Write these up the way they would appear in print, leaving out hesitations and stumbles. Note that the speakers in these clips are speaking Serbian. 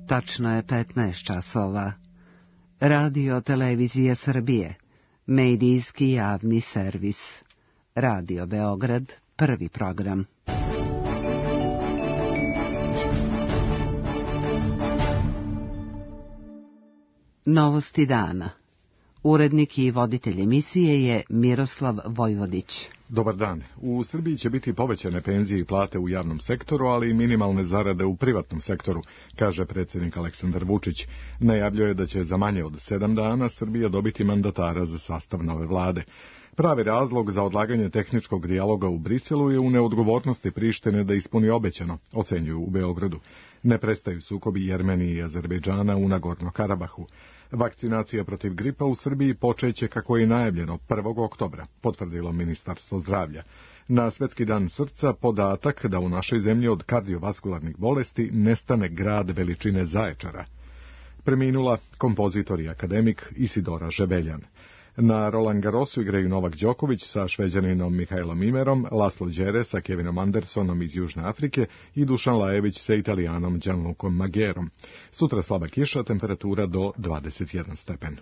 Tačno je 15 časova. Radio Televizija Srbije, medijski javni servis. Radio Beograd, prvi program. Novosti dana. Urednik i voditelj emisije je Miroslav Vojvodić. Dobar dan. U Srbiji će biti povećane penzije i plate u javnom sektoru, ali i minimalne zarade u privatnom sektoru, kaže predsjednik Aleksandar Vučić. Najavljuje da će za manje od 7 dana Srbija dobiti mandatara za sastav nove vlade. Pravi razlog za odlaganje tehničkog dijaloga u Briselu je u neodgovornosti Prištine da ispuni obećano, ocenjuju u Beogradu. Ne prestaju sukobi Jermenije i Azerbejdžana u Nagorno-Karabahu. Vakcinacija protiv gripa u Srbiji počeće kako je najavljeno 1. oktobra, potvrdilo Ministarstvo zdravlja. Na Svetski dan srca podatak da u našoj zemlji od kardiovaskularnih bolesti nestane grad veličine Zaječara. Preminula kompozitor i akademik Isidora Žebeljan. Na Roland Garrosu igraju Novak Đoković sa Šveđaninom Mihajlom Imerom, Laslo Đere sa Kevinom Andersonom iz Južne Afrike i Dušan Lajević sa Italijanom Gianlucom Maggerom. Sutra slaba kiša, temperatura do 21 stepen.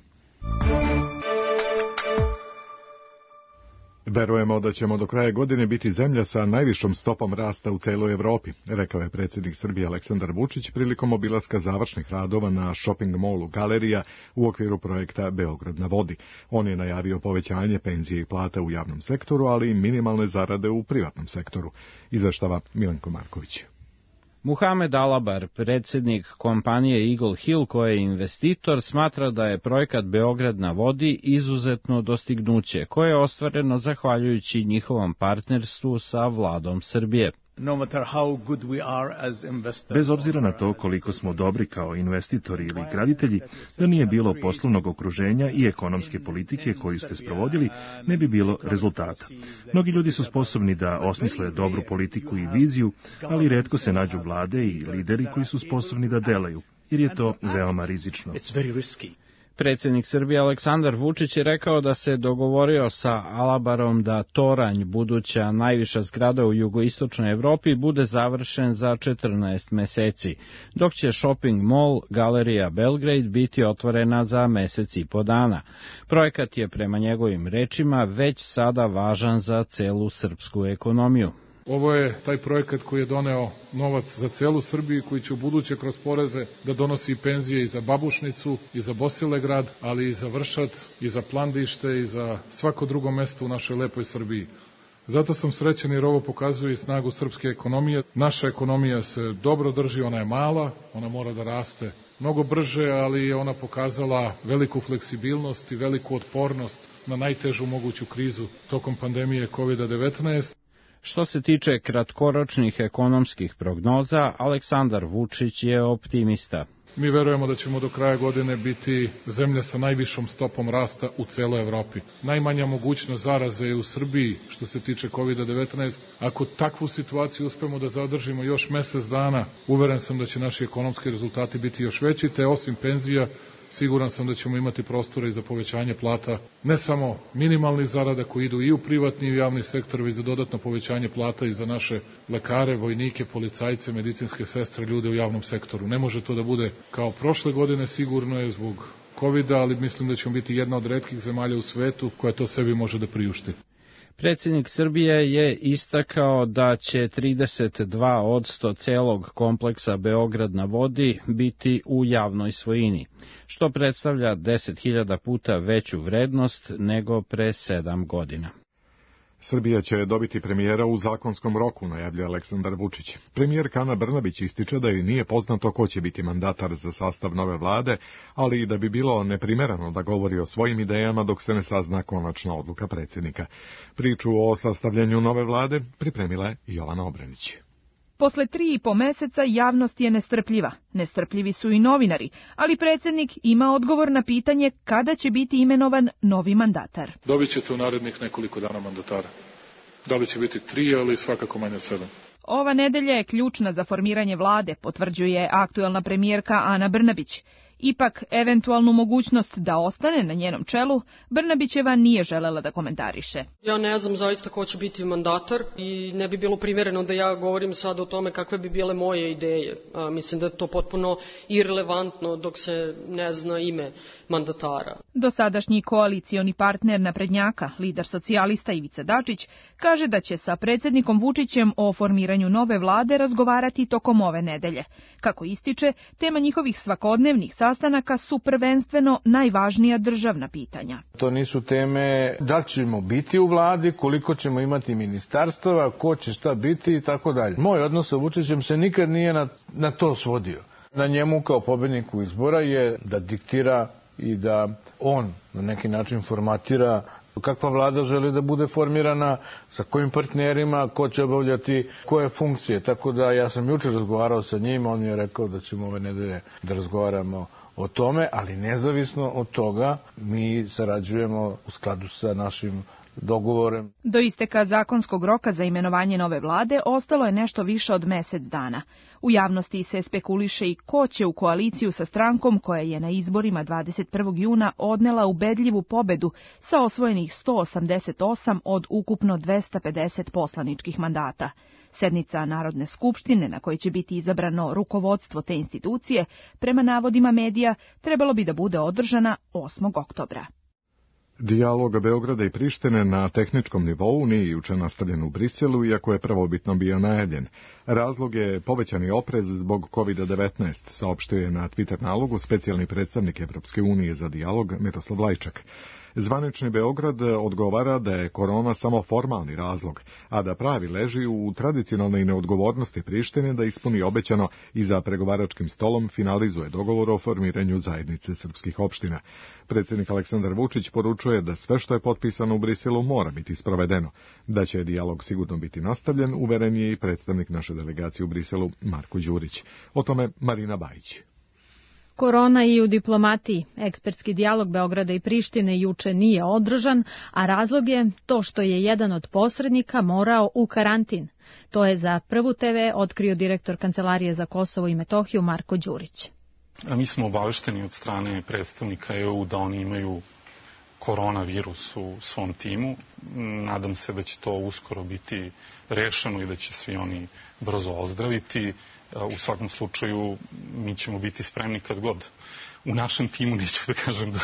Verujemo da ćemo do kraja godine biti zemlja sa najvišom stopom rasta u celoj Evropi, rekao je predsjednik Srbije Aleksandar Vučić prilikom obilaska završnih radova na shopping mallu Galerija u okviru projekta Beograd na vodi. On je najavio povećanje penzije i plata u javnom sektoru, ali i minimalne zarade u privatnom sektoru. Izveštava Milenko Marković. Muhamed Alabar, predsjednik kompanije Eagle Hill, koja je investitor, smatra da je projekat Beograd na vodi izuzetno dostignuće, koje je ostvareno zahvaljujući njihovom partnerstvu sa vladom Srbije. Bez obzira na to koliko smo dobri kao investitori ili graditelji, da nije bilo poslovnog okruženja i ekonomske politike koju ste sprovodili, ne bi bilo rezultata. Mnogi ljudi su sposobni da osmisle dobru politiku i viziju, ali retko se nađu vlade i lideri koji su sposobni da delaju, jer je to veoma rizično. Predsjednik Srbije Aleksandar Vučić je rekao da se dogovorio sa Alabarom da Toranj, buduća najviša zgrada u jugoistočnoj Evropi, bude završen za 14 meseci, dok će shopping mall Galerija Belgrade biti otvorena za mesec i po dana. Projekat je prema njegovim rečima već sada važan za celu srpsku ekonomiju. Ovo je taj projekat koji je doneo novac za celu Srbiju, koji će u buduće kroz poreze da donosi i penzije i za Babušnicu, i za Bosilegrad, ali i za Vršac, i za Plandište, i za svako drugo mesto u našoj lepoj Srbiji. Zato sam srećan jer ovo pokazuje i snagu srpske ekonomije. Naša ekonomija se dobro drži, ona je mala, ona mora da raste mnogo brže, ali je ona pokazala veliku fleksibilnost i veliku otpornost na najtežu moguću krizu tokom pandemije COVID-19. Što se tiče kratkoročnih ekonomskih prognoza, Aleksandar Vučić je optimista. Mi verujemo da ćemo do kraja godine biti zemlja sa najvišom stopom rasta u celoj Evropi. Najmanja mogućnost zaraze je u Srbiji što se tiče COVID-19. Ako takvu situaciju uspemo da zadržimo još mesec dana, uveren sam da će naši ekonomski rezultati biti još veći, te osim penzija, siguran sam da ćemo imati prostora i za povećanje plata, ne samo minimalnih zarada koji idu i u privatni i u javni sektor, već za dodatno povećanje plata i za naše lekare, vojnike, policajce, medicinske sestre, ljude u javnom sektoru. Ne može to da bude kao prošle godine, sigurno je zbog COVID-a, ali mislim da ćemo biti jedna od retkih zemalja u svetu koja to sebi može da priušti. Predsjednik Srbije je istakao da će 32% celog kompleksa Beograd na vodi biti u javnoj svojini, što predstavlja 10.000 puta veću vrednost nego pre 7 godina. Srbija će dobiti premijera u zakonskom roku, najavljuje Aleksandar Vučić. Premijerka Ana Brnabić ističe da joj nije poznato ko će biti mandatar za sastav nove vlade, ali i da bi bilo neprimereno da govori o svojim idejama dok se ne sazna konačna odluka predsjednika. Priču o sastavljanju nove vlade pripremila je Jovana Obranić. Posle 3,5 meseca javnost je nestrpljiva. Nestrpljivi su i novinari, ali predsjednik ima odgovor na pitanje kada će biti imenovan novi mandatar. Dobit ćete u narednih nekoliko dana mandatara. Da li će biti 3, ali svakako manje od 7. Ova nedelja je ključna za formiranje vlade, potvrđuje aktuelna premijerka Ana Brnabić. Ipak, eventualnu mogućnost da ostane na njenom čelu, Brnabićeva nije želela da komentariše. Ja ne znam zaista ko će biti mandatar i ne bi bilo primjereno da ja govorim sad o tome kakve bi bile moje ideje. Mislim da je to potpuno irelevantno dok se ne zna ime mandatara. Dosadašnji koalicioni partner naprednjaka, lider socijalista Ivica Dačić, kaže da će sa predsjednikom Vučićem o formiranju nove vlade razgovarati tokom ove nedelje. Kako ističe, tema njihovih svakodnevnih sastanaka su prvenstveno najvažnija državna pitanja. To nisu teme da ćemo biti u vladi, koliko ćemo imati ministarstava, ko će šta biti i tako dalje. Moj odnos sa Vučićem se nikad nije na to svodio. Na njemu kao pobedniku izbora je da diktira i da on na neki način formatira kakva vlada želi da bude formirana, sa kojim partnerima, ko će obavljati koje funkcije. Tako da ja sam jučer razgovarao sa njim, on mi je rekao da ćemo ove nedelje da razgovaramo o tome, ali nezavisno od toga mi sarađujemo u skladu sa našim dogovorem. Do isteka zakonskog roka za imenovanje nove vlade ostalo je nešto više od mesec dana. U javnosti se spekuliše i ko će u koaliciju sa strankom koja je na izborima 21. juna odnela ubedljivu pobedu sa osvojenih 188 od ukupno 250 poslaničkih mandata. Sednica Narodne skupštine na kojoj će biti izabrano rukovodstvo te institucije, prema navodima medija, trebalo bi da bude održana 8. oktobra. Dijalog Beograda i Prištine na tehničkom nivou nije juče nastavljen u Briselu, iako je prvobitno bio najavljen. Razlog je povećani oprez zbog COVID-19, saopštio je na Twitter nalogu specijalni predstavnik Evropske unije za dijalog Miroslav Lajčak. Zvanični Beograd odgovara da je korona samo formalni razlog, a da pravi leži u tradicionalnoj neodgovornosti Prištine da ispuni obećano i za pregovaračkim stolom finalizuje dogovor o formiranju zajednice srpskih opština. Predsjednik Aleksandar Vučić poručuje da sve što je potpisano u Briselu mora biti sprovedeno. Da će dijalog sigurno biti nastavljen, uveren je i predstavnik naše delegacije u Briselu Marko Đurić. O tome Marina Bajić. Korona i u diplomatiji. Ekspertski dijalog Beograda i Prištine juče nije održan, a razlog je to što je jedan od posrednika morao u karantin. To je za Prvu TV otkrio direktor Kancelarije za Kosovo i Metohiju Marko Đurić. Mi smo obavešteni od strane predstavnika EU da oni imaju koronavirus u svom timu. Nadam se da će to uskoro biti rešeno i da će svi oni brzo ozdraviti. U svakom slučaju mi ćemo biti spremni kad god. U našem timu neću da kažem da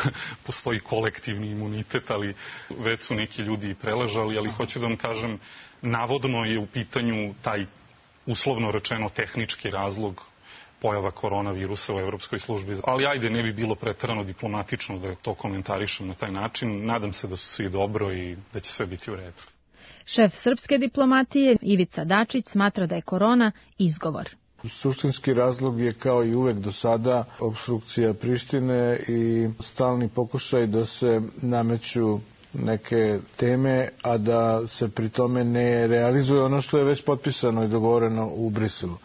postoji kolektivni imunitet, ali već su neki ljudi preležali, ali hoću da vam kažem, navodno je u pitanju taj uslovno rečeno tehnički razlog pojava koronavirusa u Evropskoj službi. Ali ajde, ne bi bilo preterano diplomatično da to komentarišem na taj način. Nadam se da su svi dobro i da će sve biti u redu. Šef srpske diplomatije Ivica Dačić smatra da je korona izgovor. Suštinski razlog je kao i uvek do sada opstrukcija Prištine i stalni pokušaj da se nameću neke teme, a da se pri tome ne realizuje ono što je već potpisano i dogovoreno u Briselu.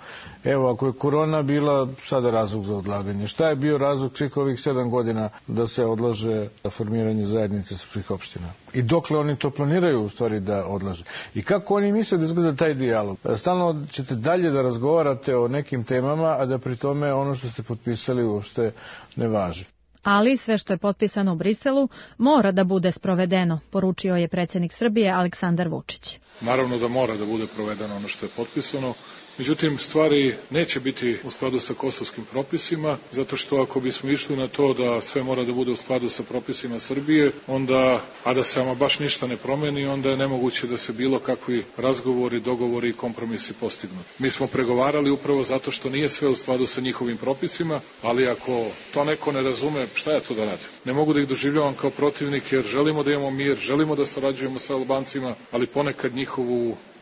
Evo, ako je korona bila sada razlog za odlaganje, šta je bio razlog svih ovih 7 godina da se odlaže formiranje zajednice srpskih opština? I dokle oni to planiraju u stvari da odlaže? I kako oni misle da izgleda taj dijalog? Stalno ćete dalje da razgovarate o nekim temama, a da pri tome ono što ste potpisali uopšte ne važi. Ali sve što je potpisano u Briselu mora da bude sprovedeno, poručio je predsjednik Srbije Aleksandar Vučić. Naravno da mora da bude provedeno ono što je potpisano. Međutim, stvari neće biti u skladu sa kosovskim propisima, zato što ako bismo išli na to da sve mora da bude u skladu sa propisima Srbije, onda, a da se ama baš ništa ne promeni, onda je nemoguće da se bilo kakvi razgovori, dogovori i kompromisi postignu. Mi smo pregovarali upravo zato što nije sve u skladu sa njihovim propisima, ali ako to neko ne razume, šta ja to da radim? Ne mogu da ih doživljavam kao protivnik jer želimo da imamo mir, želimo da sarađujemo sa Albancima, ali ponekad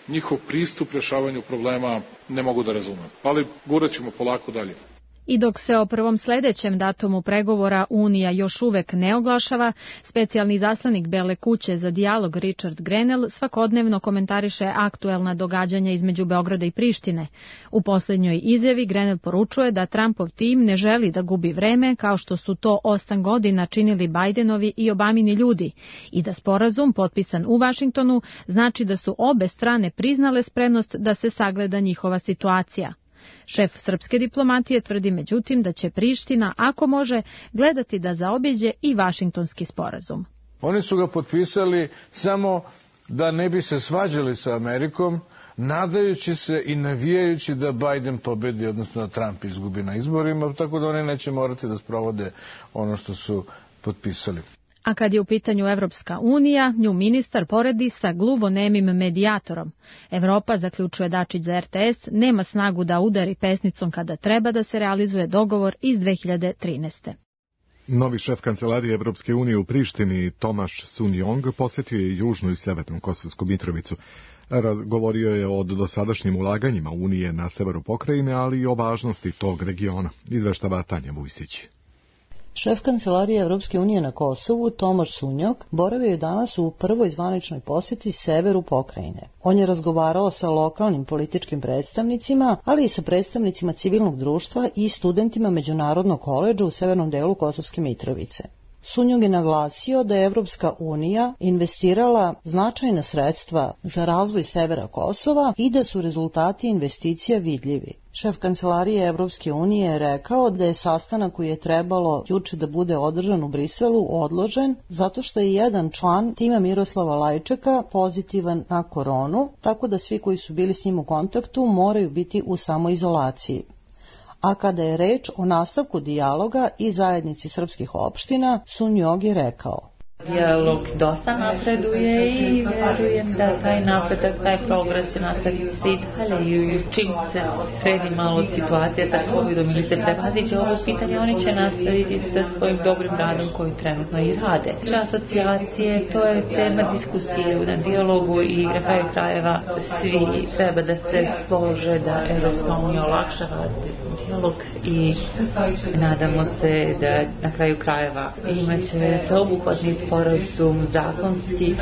njihov pristup rješavanju problema ne mogu da razumem. Ali gurat ćemo polako dalje. I dok se o prvom sledećem datumu pregovora Unija još uvek ne oglašava, specijalni zaslanik Bele kuće za dijalog Richard Grenell svakodnevno komentariše aktuelna događanja između Beograda i Prištine. U posljednjoj izjavi Grenell poručuje da Trumpov tim ne želi da gubi vreme kao što su to 8 godina činili Bajdenovi i Obamini ljudi i da sporazum potpisan u Vašingtonu znači da su obe strane priznale spremnost da se sagleda njihova situacija. Šef srpske diplomatije tvrdi međutim da će Priština, ako može, gledati da zaobiđe i Vašingtonski sporazum. Oni su ga potpisali samo da ne bi se svađali sa Amerikom, nadajući se i navijajući da Biden pobedi, odnosno da Trump izgubi na izborima, tako da oni neće morati da sprovode ono što su potpisali. A kad je u pitanju Evropska unija, nju ministar poredi sa gluvonemim medijatorom. Evropa, zaključuje Dačić za RTS, nema snagu da udari pesnicom kada treba da se realizuje dogovor iz 2013. Novi šef kancelarije Evropske unije u Prištini, Tomaš Sunjong, posjetio je južnu i severnu Kosovsku Mitrovicu. Govorio je o dosadašnjim ulaganjima Unije na severu pokrajine, ali i o važnosti tog regiona, izveštava Tanja Vujsić. Šef kancelarije Evropske unije na Kosovu, Tomaš Sunjog, boravio je danas u prvoj zvaničnoj posjeti severu pokrajine. On je razgovarao sa lokalnim političkim predstavnicima, ali i sa predstavnicima civilnog društva i studentima Međunarodnog koledža u severnom delu Kosovske Mitrovice. Sunjog je naglasio da je Evropska unija investirala značajna sredstva za razvoj severa Kosova i da su rezultati investicija vidljivi. Šef kancelarije Evropske unije je rekao da je sastanak koji je trebalo juče da bude održan u Briselu odložen zato što je jedan član tima Miroslava Lajčeka pozitivan na koronu, tako da svi koji su bili s njim u kontaktu moraju biti u samoizolaciji. A kada je reč o nastavku dijaloga i zajednici srpskih opština, Sunjog je rekao: Dijalog dosta napreduje i verujem da taj napredak, taj progres će nastaviti se i dalje i čim se sredi malo situacija sa COVID-om ili se prevaziće ovo pitanje, oni će nastaviti sa svojim dobrim radom koji trenutno i rade. Asocijacije, to je tema diskusije na dijalogu i na kraju krajeva svi treba da se slože da Evropska unija olakšava dijalog i nadamo se da na kraju krajeva imaće sveobuhvatni sporazum zakonski.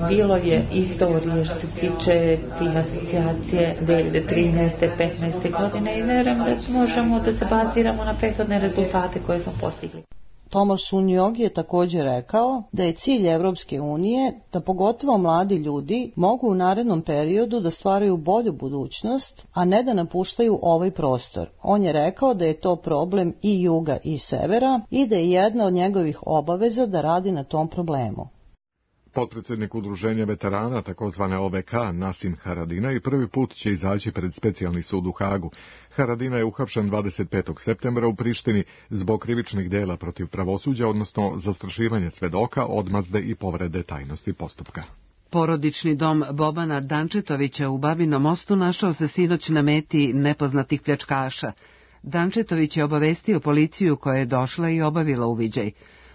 Bilo je istorije što se tiče tim asocijacije 2013. 15. godine i verujem da možemo da se baziramo na prethodne rezultate koje smo postigli. Tomaš Sunjog je također rekao da je cilj Evropske unije da pogotovo mladi ljudi mogu u narednom periodu da stvaraju bolju budućnost, a ne da napuštaju ovaj prostor. On je rekao da je to problem i juga i severa i da je jedna od njegovih obaveza da radi na tom problemu. Potpredsjednik udruženja veterana, takozvane OVK, Nasim Haradinaj, prvi put će izaći pred specijalni sud u Hagu. Haradinaj je uhapšen 25. septembra u Prištini zbog krivičnih dela protiv pravosuđa, odnosno zastrašivanja svedoka, odmazde i povrede tajnosti postupka. Porodični dom Bobana Dančetovića u Babinom Mostu našao se sinoć na meti nepoznatih pljačkaša. Dančetović je obavestio policiju koja je došla i obavila uviđaj.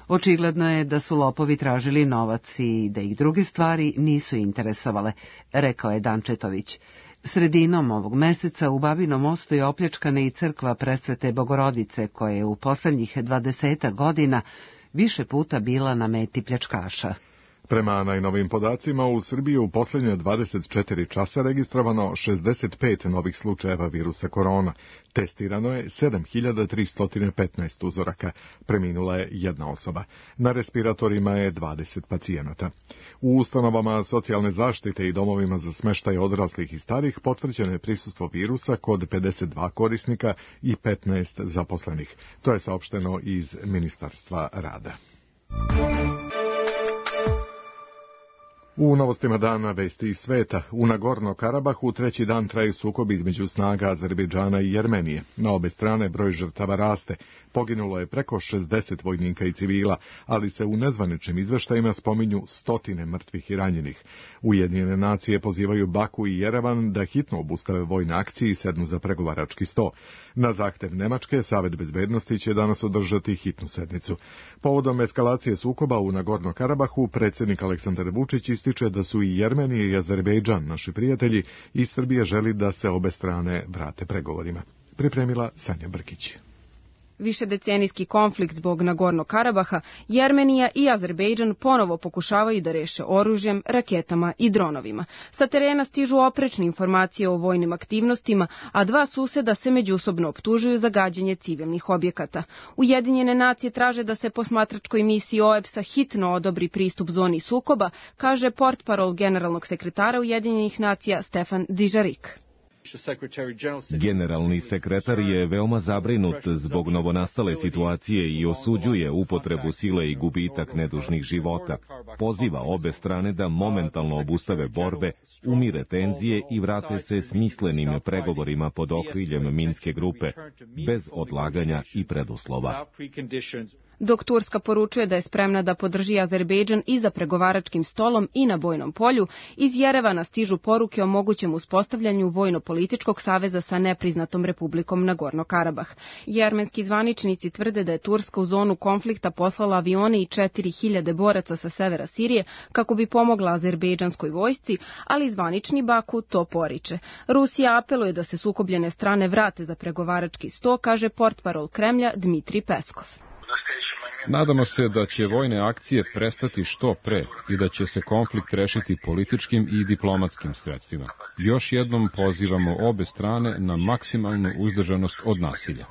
Očigledno je da su lopovi tražili novac i da ih druge stvari nisu interesovale, rekao je Dančetović. Sredinom ovog meseca u Babinom Mostu je opljačkana i crkva Presvete Bogorodice, koja je u poslednjih 20 godina više puta bila na meti pljačkaša. Prema najnovim podacima, u Srbiji u posljednje 24 časa registrovano 65 novih slučajeva virusa korona. Testirano je 7315 uzoraka. Preminula je jedna osoba. Na respiratorima je 20 pacijenata. U ustanovama socijalne zaštite i domovima za smještaj odraslih i starih potvrđeno je prisustvo virusa kod 52 korisnika i 15 zaposlenih. To je saopšteno iz Ministarstva rada. U novostima dana vesti iz sveta, u Nagorno-Karabahu treći dan traju sukobi između snaga Azerbejdžana i Jermenije. Na obe strane broj žrtava raste. Poginulo je preko 60 vojnika i civila, ali se u nezvaničnim izveštajima spominju stotine mrtvih i ranjenih. Ujedinjene nacije pozivaju Baku i Jerevan da hitno obustave vojne akcije i sednu za pregovarački sto. Na zahtev Nemačke, Savet bezbednosti će danas održati hitnu sednicu. Povodom eskalacije sukoba u Nagorno-Karabahu, predsjednik Aleksandar Vučić ističe da su i Jermenija i Azerbejdžan naši prijatelji i Srbija želi da se obe strane vrate pregovorima. Pripremila Sanja Brkić. Višedecenijski konflikt zbog Nagorno-Karabaha, Jermenija i Azerbejdžan ponovo pokušavaju da reše oružjem, raketama i dronovima. Sa terena stižu oprečne informacije o vojnim aktivnostima, a dva suseda se međusobno optužuju za gađanje civilnih objekata. Ujedinjene nacije traže da se posmatračkoj misiji OEBS-a hitno odobri pristup zoni sukoba, kaže portparol generalnog sekretara Ujedinjenih nacija Stefan Dujarric. Generalni sekretar je veoma zabrinut zbog novonastale situacije i osuđuje upotrebu sile i gubitak nedužnih života. Poziva obe strane da momentalno obustave borbe, umire tenzije i vrate se smislenim pregovorima pod okriljem Minske grupe, bez odlaganja i preduslova. Dok Turska poručuje da je spremna da podrži Azerbejdžan i za pregovaračkim stolom i na bojnom polju, iz Jerevana stižu poruke o mogućem uspostavljanju vojno-političkog saveza sa nepriznatom republikom Nagorno-Karabah. Jermenski zvaničnici tvrde da je Turska u zonu konflikta poslala avione i 4000 boraca sa severa Sirije kako bi pomogla azerbejdžanskoj vojsci, ali zvanični Baku to poriče. Rusija apeluje da se sukobljene strane vrate za pregovarački sto, kaže portparol Kremlja Dmitrij Peskov. Nadamo se da će vojne akcije prestati što pre i da će se konflikt rešiti političkim i diplomatskim sredstvima. Još jednom pozivamo obe strane na maksimalnu uzdržanost od nasilja.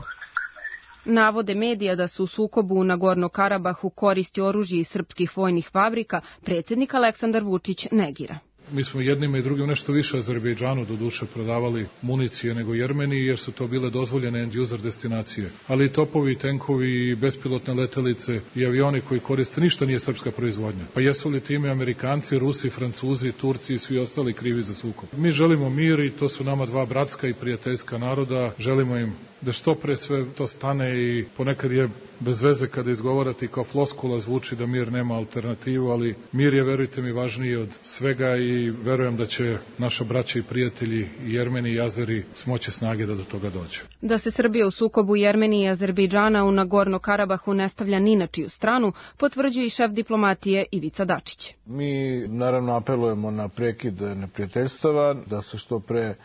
Navode medija da su u sukobu u Nagorno-Karabahu koristi oružje iz srpskih vojnih fabrika, predsjednik Aleksandar Vučić negira. Mi smo jednima i drugim nešto više Azerbejdžanu doduše prodavali municije nego Jermeniji, jer su to bile dozvoljene end-user destinacije. Ali i topovi, i tenkovi, i bespilotne letelice, i avioni koji koriste, ništa nije srpska proizvodnja. Pa jesu li time Amerikanci, Rusi, Francuzi, Turci i svi ostali krivi za sukob? Mi želimo mir i to su nama dva bratska i prijateljska naroda. Želimo im da što pre sve to stane i ponekad je bez veze kada izgovarati kao floskula zvuči da mir nema alternativu, ali mir je, verujte mi, važniji od svega i verujem da će naša braća i prijatelji i Jermeni i Azeri smoći snage da do toga dođe. Da se Srbija u sukobu Jermenije i Azerbejdžana u Nagorno-Karabahu ne stavlja ni na čiju stranu, potvrđuje i šef diplomatije Ivica Dačić. Mi naravno apelujemo na prekid neprijateljstava, da se što pre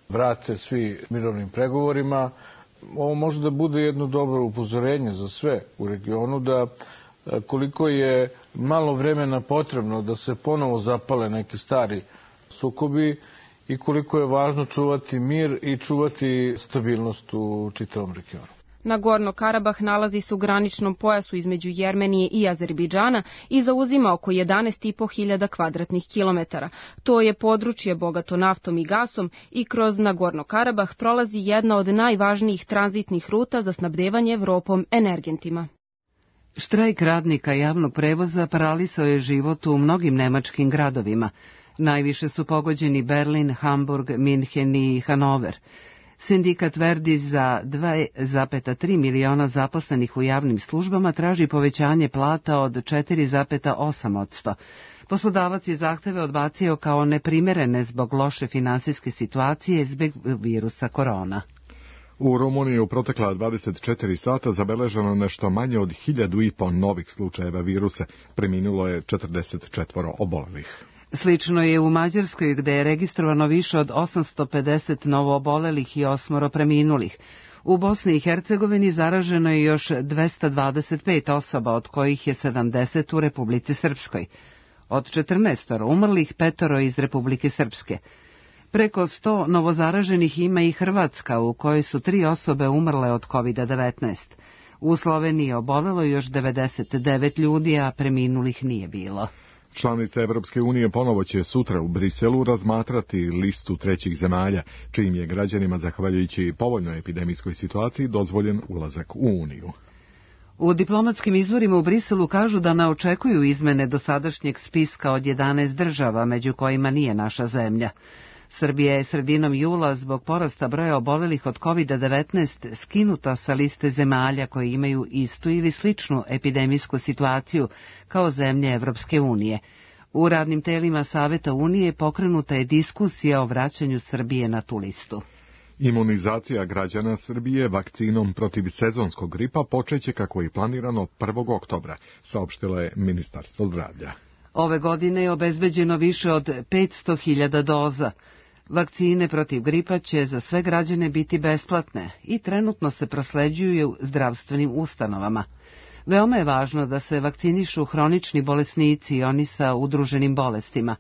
vrate svi mirovnim pregovorima. Ovo može da bude jedno dobro upozorenje za sve u regionu, da koliko je malo vremena potrebno da se ponovo zapale neki stari sukobi i koliko je važno čuvati mir i čuvati stabilnost u čitavom regionu. Nagorno-Karabah nalazi se u graničnom pojasu između Jermenije i Azerbejdžana i zauzima oko 11.500 kvadratnih kilometara. To je područje bogato naftom i gasom i kroz Nagorno-Karabah prolazi jedna od najvažnijih tranzitnih ruta za snabdevanje Evropom energentima. Štrajk radnika javnog prevoza paralisao je život u mnogim nemačkim gradovima. Najviše su pogođeni Berlin, Hamburg, Minhen i Hanover. Sindikat Verdi za 2,3 miliona zaposlenih u javnim službama traži povećanje plata od 4,8%. Poslodavac je zahteve odbacio kao neprimerene zbog loše finansijske situacije zbog virusa korona. U Rumuniji u protekla 24 sata zabeleženo nešto manje od 1.500 novih slučajeva virusa. Preminulo je 44 obolelih. Slično je u Mađarskoj, gde je registrovano više od 850 novoobolelih i 8 preminulih. U Bosni i Hercegovini zaraženo je još 225 osoba, od kojih je 70 u Republici Srpskoj. Od 14 umrlih 5 iz Republike Srpske. Preko 100 novozaraženih ima i Hrvatska, u kojoj su 3 osobe umrle od COVID-19. U Sloveniji obolelo još 99 ljudi, a preminulih nije bilo. Članice Evropske unije ponovo će sutra u Briselu razmatrati listu trećih zemalja, čijim je građanima, zahvaljujući povoljnoj epidemijskoj situaciji, dozvoljen ulazak u Uniju. U diplomatskim izvorima u Briselu kažu da ne očekuju izmene dosadašnjeg spiska od 11 država, među kojima nije naša zemlja. Srbija je sredinom jula zbog porasta broja obolelih od COVID-19 skinuta sa liste zemalja koje imaju istu ili sličnu epidemijsku situaciju kao zemlje Evropske unije. U radnim telima Saveta Unije pokrenuta je diskusija o vraćanju Srbije na tu listu. Imunizacija građana Srbije vakcinom protiv sezonskog gripa počeće kako je planirano 1. oktobra, saopštilo je Ministarstvo zdravlja. Ove godine je obezbeđeno više od 500.000 doza. Vakcine protiv gripa će za sve građane biti besplatne i trenutno se prosleđuju u zdravstvenim ustanovama. Veoma je važno da se vakcinišu hronični bolesnici i oni sa udruženim bolestima.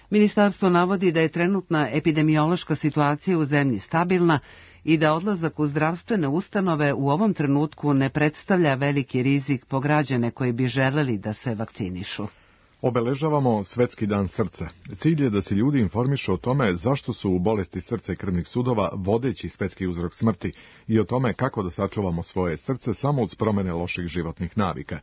Ministarstvo navodi da je trenutna epidemiološka situacija u zemlji stabilna i da odlazak u zdravstvene ustanove u ovom trenutku ne predstavlja veliki rizik po građane koji bi želeli da se vakcinišu. Obeležavamo Svetski dan srca. Cilj je da se ljudi informišu o tome zašto su bolesti srca i krvnih sudova vodeći svetski uzrok smrti i o tome kako da sačuvamo svoje srce samo uz promene loših životnih navika.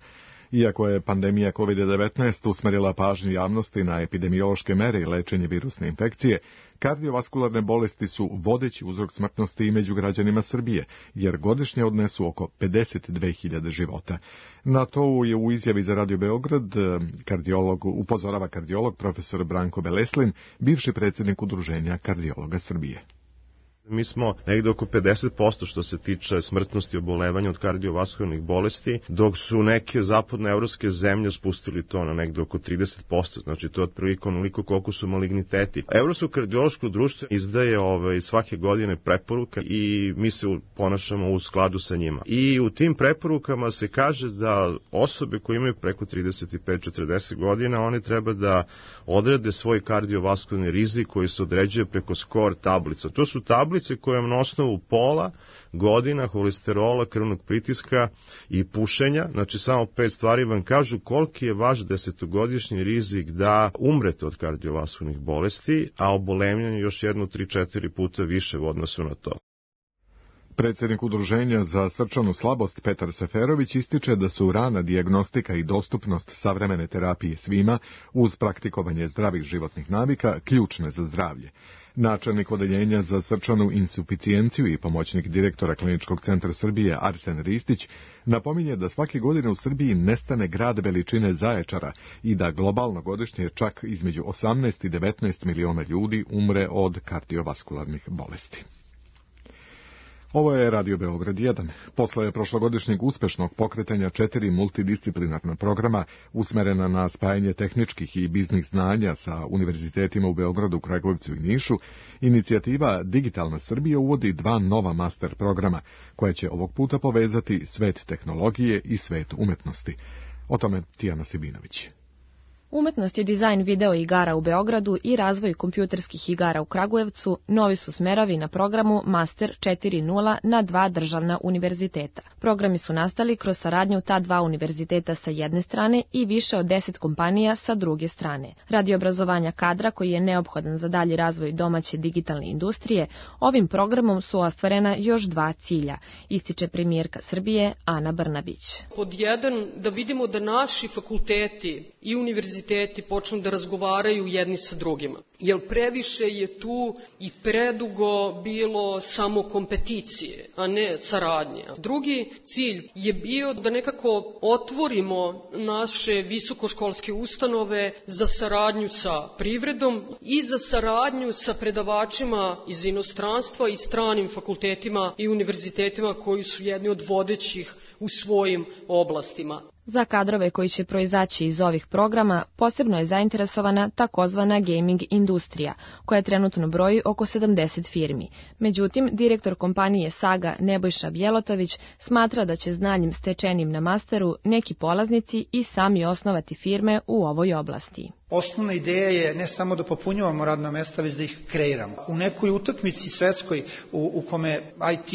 Iako je pandemija COVID-19 usmerila pažnju javnosti na epidemiološke mere i lečenje virusne infekcije, kardiovaskularne bolesti su vodeći uzrok smrtnosti i među građanima Srbije, jer godišnje odnesu oko 52.000 života. Na to je u izjavi za Radio Beograd upozorava kardiolog profesor Branko Beleslin, bivši predsjednik Udruženja kardiologa Srbije. Mi smo negde oko 50% što se tiče smrtnosti obolevanja od kardiovaskularnih bolesti, dok su neke zapadnoevropske zemlje spustili to na negde oko 30%, znači to je otprilike onoliko koliko su maligniteti. Evropsko kardiološko društvo izdaje svake godine preporuka i mi se ponašamo u skladu sa njima. I u tim preporukama se kaže da osobe koje imaju preko 35-40 godina, one treba da odrede svoj kardiovaskularni rizik koji se određuje preko SCORE tablica. To su tablice koje na osnovu pola, godina, holesterola, krvnog pritiska i pušenja, znači samo 5 stvari vam kažu koliki je vaš 10-godišnji rizik da umrete od kardiovaskularnih bolesti, a obolevanje još 1-3-4 puta više u odnosu na to. Predsjednik Udruženja za srčanu slabost Petar Seferović ističe da su rana dijagnostika i dostupnost savremene terapije svima, uz praktikovanje zdravih životnih navika, ključne za zdravlje. Načelnik odeljenja za srčanu insuficijenciju i pomoćnik direktora Kliničkog centra Srbije Arsen Ristić napominje da svake godine u Srbiji nestane grad veličine Zaječara i da globalno godišnje čak između 18 i 19 miliona ljudi umre od kardiovaskularnih bolesti. Ovo je Radio Beograd 1. Posle prošlogodišnjeg uspešnog pokretanja 4 multidisciplinarna programa usmerena na spajanje tehničkih i biznis znanja sa univerzitetima u Beogradu, Kragujevcu i Nišu, inicijativa Digitalna Srbija uvodi 2 nova master programa, koje će ovog puta povezati svet tehnologije i svet umetnosti. O tome Tijana Sibinović. Umetnost i dizajn video igara u Beogradu i razvoj kompjuterskih igara u Kragujevcu novi su smerovi na programu Master 4.0 na 2 državna univerziteta. Programi su nastali kroz saradnju ta 2 univerziteta sa jedne strane i više od 10 kompanija sa druge strane. Radi obrazovanja kadra koji je neophodan za dalji razvoj domaće digitalne industrije, ovim programom su ostvarena još 2 cilja, ističe premijerka Srbije Ana Brnabić. Pod 1, da vidimo da naši fakulteti i univerziteti počnu da razgovaraju jedni sa drugima. Jer previše je tu i predugo bilo samo kompeticije, a ne saradnje. Drugi cilj je bio da nekako otvorimo naše visokoškolske ustanove za saradnju sa privredom i za saradnju sa predavačima iz inostranstva i stranim fakultetima i univerzitetima koji su jedni od vodećih u svojim oblastima. Za kadrove koji će proizaći iz ovih programa posebno je zainteresovana takozvana gaming industrija, koja trenutno broji oko 70 firmi. Međutim, direktor kompanije Saga Nebojša Bjelotović smatra da će znanjem stečenim na masteru neki polaznici i sami osnovati firme u ovoj oblasti. Osnovna ideja je ne samo da popunjavamo radna mesta, već da ih kreiramo. U nekoj utakmici svetskoj u kome IT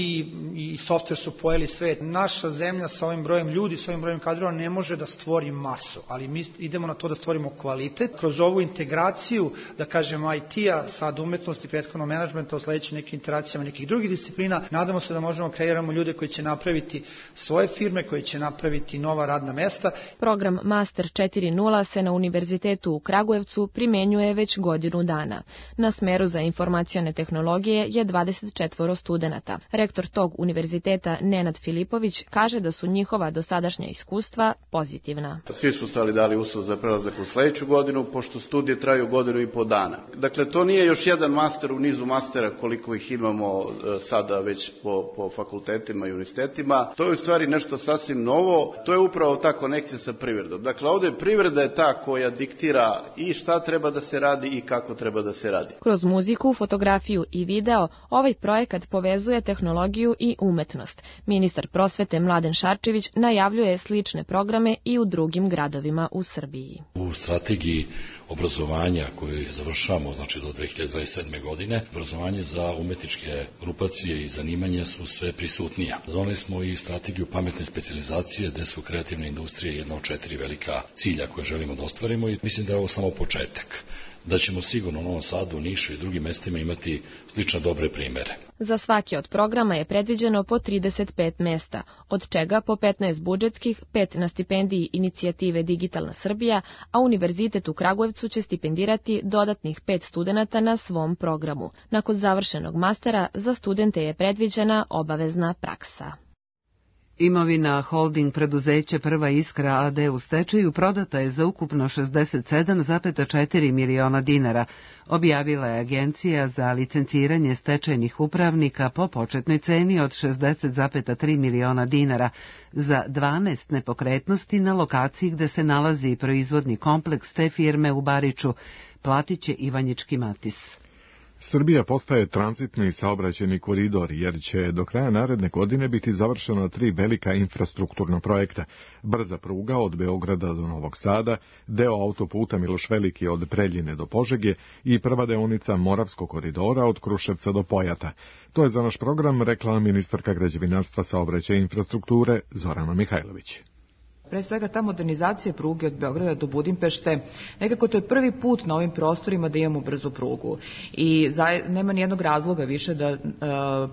i softver su pojeli svet, naša zemlja sa ovim brojem ljudi, sa ovim brojem kadrova ne može da stvori masu, ali mi idemo na to da stvorimo kvalitet. Kroz ovu integraciju, da kažemo IT-a, sad umetnosti, prethodno menadžmenta, u sledećim nekim interakcijama nekih drugih disciplina, nadamo se da možemo kreiramo ljude koji će napraviti svoje firme, koji će napraviti nova radna mesta. Program Master 4.0 se na univerzitetu u Kragujevcu primenjuje već godinu dana. Na smeru za informacione tehnologije je 24 studenata. Rektor tog univerziteta Nenad Filipović kaže da su njihova dosadašnja iskustva pozitivna. Svi su stali dali uslov za prelazak u sledeću godinu, pošto studije traju 1,5 godina. Dakle, to nije još jedan master u nizu mastera koliko ih imamo sada već po fakultetima i univerzitetima. To je u stvari nešto sasvim novo. To je upravo ta konekcija sa privredom. Dakle, ovde privreda je ta koja diktira i šta treba da se radi i kako treba da se radi. Kroz muziku, fotografiju i video ovaj projekat povezuje tehnologiju i umetnost. Ministar prosvete Mladen Šarčević najavljuje slične projekte programe i u drugim gradovima u Srbiji. U strategiji obrazovanja koju završavamo, znači do 2027. godine, obrazovanje za umetničke grupacije i zanimanja su sve prisutnija. Doneli smo i strategiju pametne specijalizacije, gde su kreativne industrije jedna od 4 velika cilja koje želimo da ostvarimo i mislim da je ovo samo početak. Da ćemo sigurno u Novom Sadu, Nišu i drugim mestima imati slično dobre primere. Za svaki od programa je predviđeno po 35 mesta, od čega po 15 budžetskih, 5 na stipendiji inicijative Digitalna Srbija, a Univerzitet u Kragujevcu će stipendirati dodatnih 5 studenata na svom programu. Nakon završenog mastera za studente je predviđena obavezna praksa. Imovina holding preduzeća Prva Iskra AD u stečaju prodata je za ukupno 67,4 miliona dinara, objavila je Agencija za licenciranje stečajnih upravnika po početnoj ceni od 60,3 miliona dinara za 12 nepokretnosti na lokaciji gde se nalazi proizvodni kompleks te firme u Bariču, platit će Ivanjički Matis. Srbija postaje tranzitni saobraćajni koridor jer će do kraja naredne godine biti završena 3 velika infrastrukturna projekta. Brza pruga od Beograda do Novog Sada, deo autoputa Miloš Veliki od Preljine do Požege i prva deonica Moravskog koridora od Kruševca do Pojata. To je za naš program rekla ministarka građevinarstva, saobraćaja i infrastrukture Zorana Mihajlović. Pre svega ta modernizacija pruge od Beograda do Budimpešte, nekako to je prvi put na ovim prostorima da imamo brzu prugu i nema nijednog razloga više da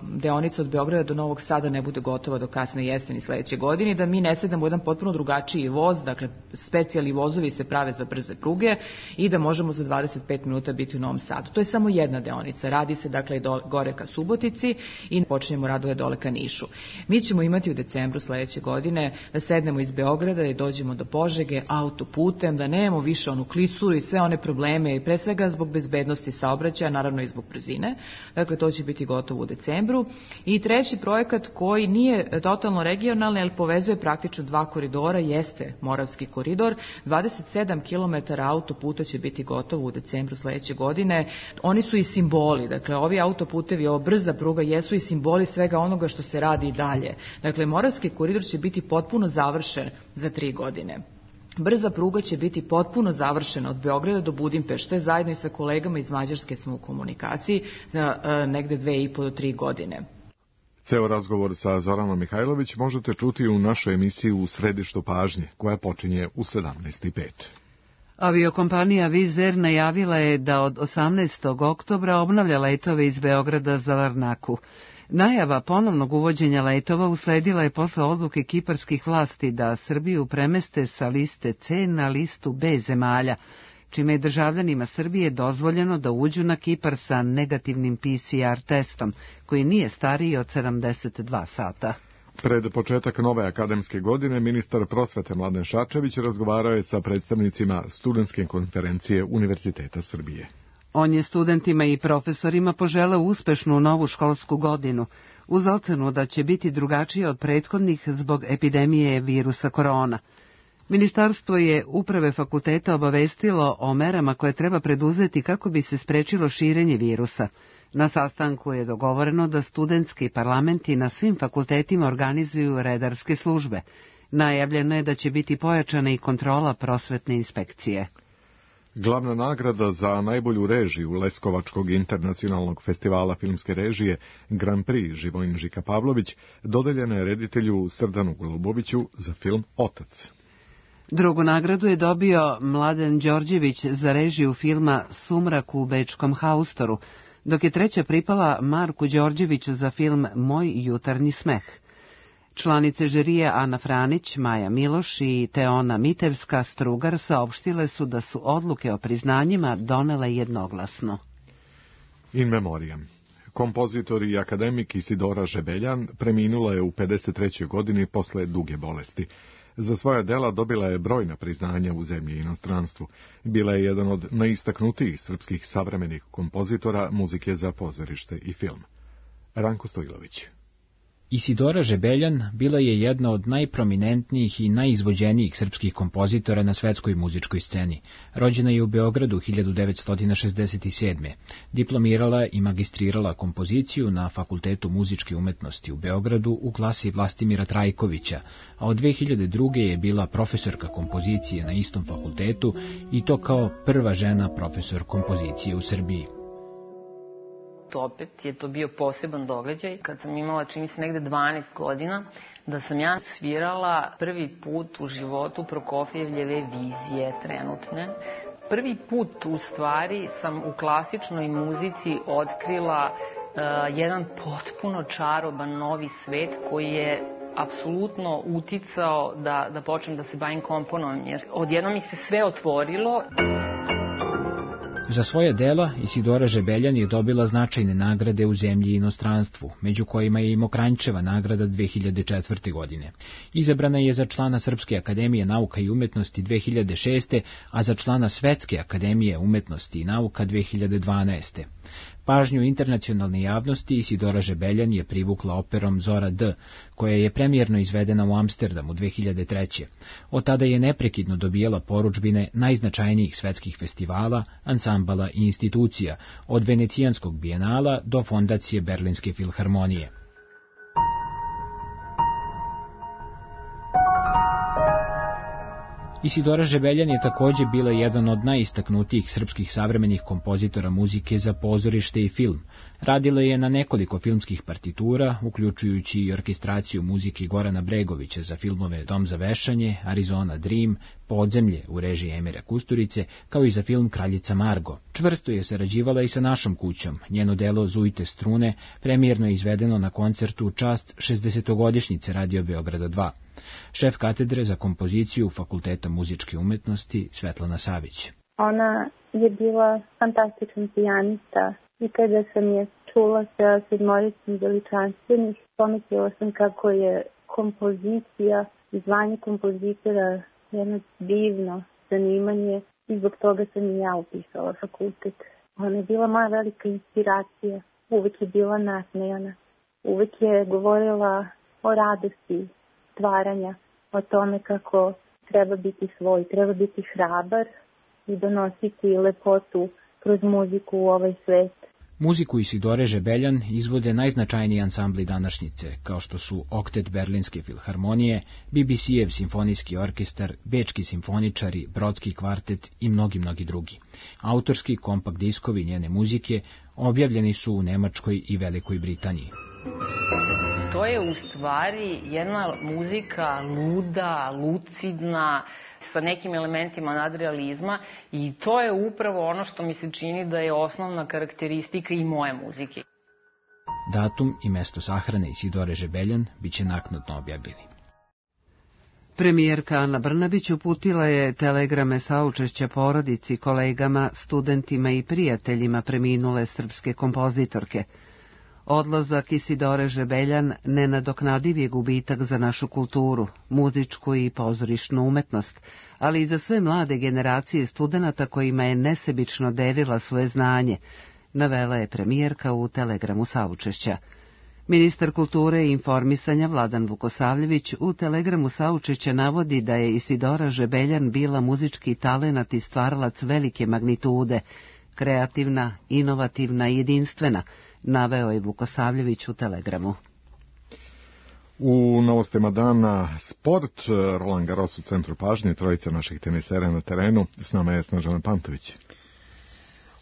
deonica od Beograda do Novog Sada ne bude gotova do kasne jeseni sledeće godine i da mi ne sedamo u jedan potpuno drugačiji voz, dakle specijalni vozovi se prave za brze pruge i da možemo za 25 minuta biti u Novom Sadu. To je samo jedna deonica, radi se dakle gore ka Subotici i počinjemo radove dole ka Nišu. Mi ćemo imati u decembru sledeće godine da sednemo iz Beograda i dođemo do Požege autoputem, da nemamo više onu klisuru i sve one probleme i pre svega zbog bezbednosti saobraćaja, naravno i zbog brzine. Dakle, to će biti gotovo u decembru. I treći projekat koji nije totalno regionalni, ali povezuje praktično 2 koridora, jeste Moravski koridor. 27 km autoputa će biti gotovo u decembru sledeće godine. Oni su i simboli, dakle, ovi autoputevi, ova brza pruga jesu i simboli svega onoga što se radi i dalje. Dakle, Moravski koridor će biti potpuno završen za 3 godine. Brza pruga će biti potpuno završena od Beograda do Budimpešte, zajedno i sa kolegama iz Mađarske smo u komunikaciji za negde 2,5 do 3 godine. Ceo razgovor sa Zoranom Mihajlović možete čuti u našoj emisiji U središtu pažnje, koja počinje u 17:05. Aviokompanija Wizz Air najavila je da od 18. oktobra obnavlja letove iz Beograda za Larnaku. Najava ponovnog uvođenja letova usledila je posle odluke kiparskih vlasti da Srbiju premeste sa liste C na listu B zemalja, čime je državljanima Srbije dozvoljeno da uđu na Kipar sa negativnim PCR testom, koji nije stariji od 72 sata. Pred početak nove akademske godine ministar prosvete Mladen Šarčević razgovarao je sa predstavnicima studentske konferencije Univerziteta Srbije. On je studentima i profesorima poželeo uspešnu novu školsku godinu, uz ocenu da će biti drugačije od prethodnih zbog epidemije virusa korona. Ministarstvo je uprave fakulteta obavestilo o merama koje treba preduzeti kako bi se sprečilo širenje virusa. Na sastanku je dogovoreno da studentski parlamenti na svim fakultetima organizuju redarske službe. Najavljeno je da će biti pojačana i kontrola prosvetne inspekcije. Glavna nagrada za najbolju režiju Leskovačkog internacionalnog festivala filmske režije Grand Prix Živojin Žika Pavlović dodeljena je reditelju Srdanu Goluboviću za film Otac. Drugu nagradu je dobio Mladen Đorđević za režiju filma Sumrak u bečkom haustoru, dok je treća pripala Marku Đorđeviću za film Moj jutarnji smeh. Članice žirije Ana Franić, Maja Miloš i Teona Mitevska-Strugar saopštile su da su odluke o priznanjima donele jednoglasno. In memoriam. Kompozitor i akademik Isidora Žebeljan preminula je u 53. godini posle duge bolesti. Za svoja dela dobila je brojna priznanja u zemlji i inostranstvu. Bila je jedan od najistaknutijih srpskih savremenih kompozitora muzike za pozorište i film. Ranko Stojlović. Isidora Žebeljan bila je jedna od najprominentnijih i najizvođenijih srpskih kompozitora na svetskoj muzičkoj sceni. Rođena je u Beogradu 1967. Diplomirala i magistrirala kompoziciju na Fakultetu muzičke umetnosti u Beogradu u klasi Vlastimira Trajkovića, a od 2002. je bila profesorka kompozicije na istom fakultetu i to kao prva žena profesor kompozicije u Srbiji. Opet je to bio poseban događaj kad sam imala, čini se, negde 12 godina, da sam ja svirala prvi put u životu Prokofjevljeve vizije trenutne. Prvi put u stvari sam u klasičnoj muzici otkrila jedan potpuno čaroban novi svet koji je apsolutno uticao da počnem da se bavim komponovanjem, jer odjednom mi se sve otvorilo. Za svoje dela Isidora Žebeljan je dobila značajne nagrade u zemlji i inostranstvu, među kojima je i Mokranjčeva nagrada 2004. godine. Izabrana je za člana Srpske akademije nauka i umetnosti 2006. a za člana Svetske akademije umetnosti i nauka 2012. Pažnju internacionalne javnosti Isidora Žebeljan je privukla operom Zora D, koja je premijerno izvedena u Amsterdamu 2003. Od tada je neprekidno dobijala porudžbine najznačajnijih svetskih festivala, ansambala i institucija, od Venecijanskog bijenala do fondacije Berlinske filharmonije. Isidora Žebeljan je takođe bila jedan od najistaknutijih srpskih savremenih kompozitora muzike za pozorište i film. Radila je na nekoliko filmskih partitura, uključujući i orkestraciju muzike Gorana Bregovića za filmove Dom za vešanje, Arizona Dream, Podzemlje u režiji Emira Kusturice, kao i za film Kraljica Margo. Čvrsto je sarađivala i sa našom kućom. Njeno delo Zujte strune premijerno je izvedeno na koncertu u čast 60-godišnjice Radio Beograda 2. Šef katedre za kompoziciju Fakulteta muzičke umetnosti Svetlana Savić. Ona je bila fantastičan pijanista i kada sam je čula sa sedmoricom veličanstvenih, pomislila sam kako je kompozicija i zvanje kompozitora jedno divno zanimanje i zbog toga sam i ja upisala fakultet. Ona je bila moja velika inspiracija, uvek je bila nasmejana, uvek je govorila o radosti stvaranja, o tome kako treba biti svoj, treba biti hrabar i donositi lepotu kroz muziku u ovaj svet. Muziku Isidore Žebeljan izvode najznačajniji ansambli današnjice, kao što su Oktet Berlinske filharmonije, BBC-ev simfonijski orkestar, Bečki simfoničari, Brodski kvartet i mnogi drugi. Autorski kompakt diskovi njene muzike objavljeni su u Nemačkoj i Velikoj Britaniji. To je u stvari jedna muzika luda, lucidna, sa nekim elementima nadrealizma i to je upravo ono što mi se čini da je osnovna karakteristika i moje muzike. Datum i mesto sahrane Isidore Žebeljan biće naknadno objavljeni. Premijerka Ana Brnabić uputila je telegrame saučešća porodici, kolegama, studentima i prijateljima preminule srpske kompozitorke. Odlazak Isidore Žebeljan nenadoknadiv je gubitak za našu kulturu, muzičku i pozorišnu umetnost, ali i za sve mlade generacije studenata kojima je nesebično delila svoje znanje, navela je premijerka u telegramu saučešća. Ministar kulture i informisanja Vladan Vukosavljević u telegramu saučešća navodi da je Isidora Žebeljan bila muzički talenat i stvaralac velike magnitude, kreativna, inovativna i jedinstvena, naveo je Vukosavljević u telegramu. U novostima dana sport, Roland Garros u centru pažnje, trojica naših tenisera na terenu, s nama je Snežana Pantović.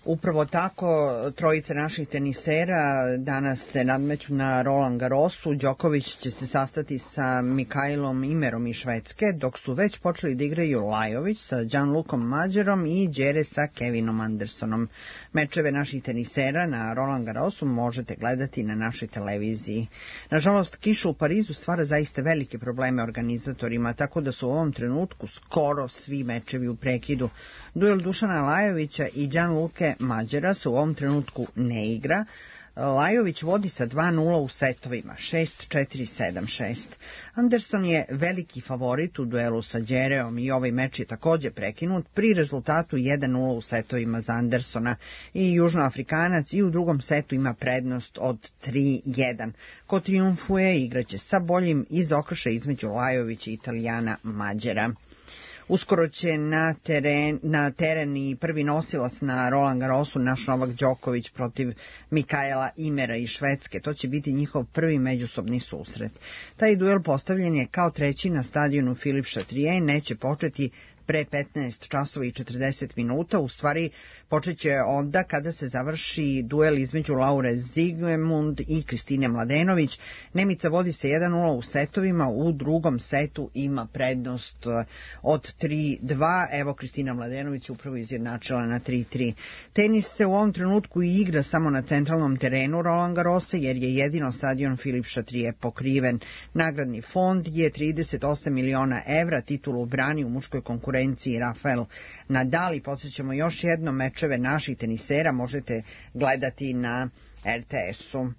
Upravo tako, trojica naših tenisera danas se nadmeću na Roland Garrosu. Đoković će se sastati sa Mikailom Imerom iz Švedske, dok su već počeli da igraju Lajović sa Gianlucom Mađerom i Đere sa Kevinom Andersonom. Mečeve naših tenisera na Roland Garrosu možete gledati na našoj televiziji. Nažalost, kiša u Parizu stvara zaista velike probleme organizatorima, tako da su u ovom trenutku skoro svi mečevi u prekidu. Duel Dušana Lajovića i Gianluke Mađera se u ovom trenutku ne igra. Lajović vodi sa 2-0 u setovima, 6-4, 7-6. Anderson je veliki favorit u duelu sa Đereom i ovaj meč je također prekinut pri rezultatu 1-0 u setovima za Andersona i Južnoafrikanac i u drugom setu ima prednost od 3-1. Ko trijumfuje igraće sa boljim iz okršaja između Lajovića i Italijana Mađera. Uskoro će na teren i prvi nosilac na Roland Garrosu naš Novak Đoković protiv Mikaela Imera iz Švedske. To će biti njihov prvi međusobni susret. Taj duel postavljen je kao treći na stadionu Philippe Chatrier, neće početi pre 15 časova i 40 minuta, u stvari počeće onda kada se završi duel između Laure Zigmund i Kristine Mladenović. Nemica vodi se 1-0 u setovima, u drugom setu ima prednost od 3-2, evo Kristina Mladenović upravo izjednačila na 3-3. Tenis se u ovom trenutku i igra samo na centralnom terenu Roland Garrosa, jer je jedino stadion Philippe Chatrier pokriven. Nagradni fond je 38 miliona evra, titulu brani u muškoj konkurenciji Rafael Nadal i podsjećamo još jedno, mečeve naših tenisera možete gledati na RTS-u.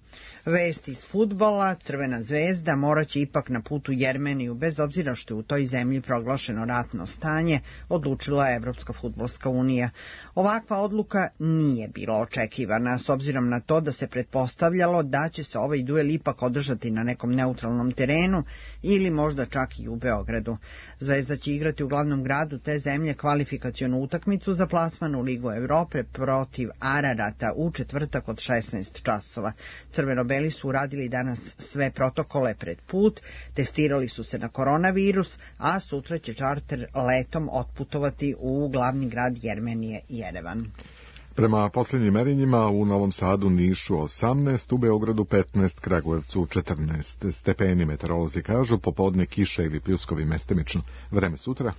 Vest iz fudbala, Crvena zvezda moraće ipak na putu Jermeniju, bez obzira što je u toj zemlji proglašeno ratno stanje, odlučila je Evropska fudbalska unija. Ovakva odluka nije bila očekivana, s obzirom na to da se pretpostavljalo da će se ovaj duel ipak održati na nekom neutralnom terenu ili možda čak i u Beogradu. Zvezda će igrati u glavnom gradu te zemlje kvalifikacionu utakmicu za plasman u Ligu Evrope protiv Ararata u četvrtak od 16 časova. Crveno-beli su uradili danas sve protokole pred put, testirali su se na koronavirus, a sutra će čarter letom otputovati u glavni grad Jermenije, Jerevan. Prema posljednjim merenjima u Novom Sadu, Nišu 18, u Beogradu 15, Kragujevcu 14 stepeni. Meteorolozi kažu popodne kiša ili pljuskovi mestimično. Vreme sutra?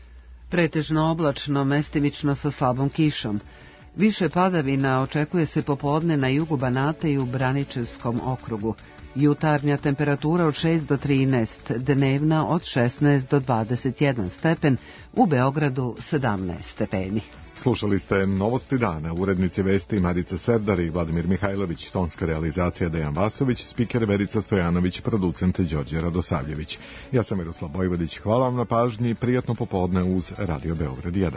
Pretežno oblačno, mestimično sa slabom kišom. Više padavina očekuje se popodne na jugu Banata i u Braničevskom okrugu. Jutarnja temperatura od 6 do 13, dnevna od 16 do 21 stepen, u Beogradu 17 stepeni. Slušali ste Novosti dana, urednici vesti Marica Serdar i Vladimir Mihajlović, tonska realizacija Dejan Vasović, spiker Verica Stojanović, producent Đorđe Radosavljević. Ja sam Miroslav Bojvodić, hvala vam na pažnji, prijatno popodne uz Radio Beograd 1.